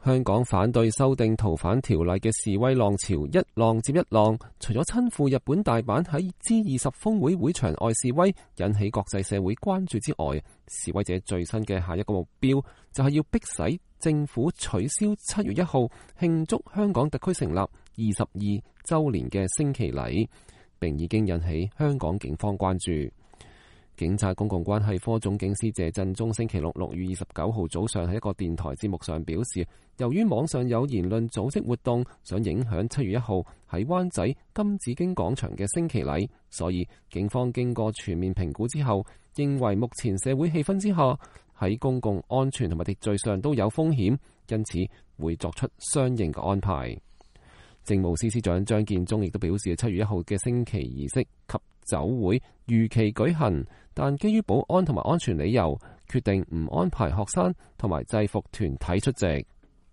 香港反對修訂逃犯條例嘅示威浪潮一浪接一浪，除咗親赴日本大阪喺 G20 峰會會場外示威，引起國際社會關注之外，示威者最新嘅下一個目標就係要迫使政府取消7月1號慶祝香港特區成立22週年嘅升旗禮，並已經引起香港警方關注。警察公共關係科總警司謝振中星期六6月29號早上喺一個電台節目上表示，由於網上有言論組織活動想影響7月1號喺灣仔金紫荊廣場嘅升旗禮，所以警方經過全面評估之後，認為目前社會氣氛之下喺公共安全同埋秩序上都有風險，因此會作出相應嘅安排。政務司司長張建宗亦都表示，7月1號嘅升旗儀式及酒會如期舉行，但基於保安同埋安全理由，決定唔安排學生同埋制服團體出席。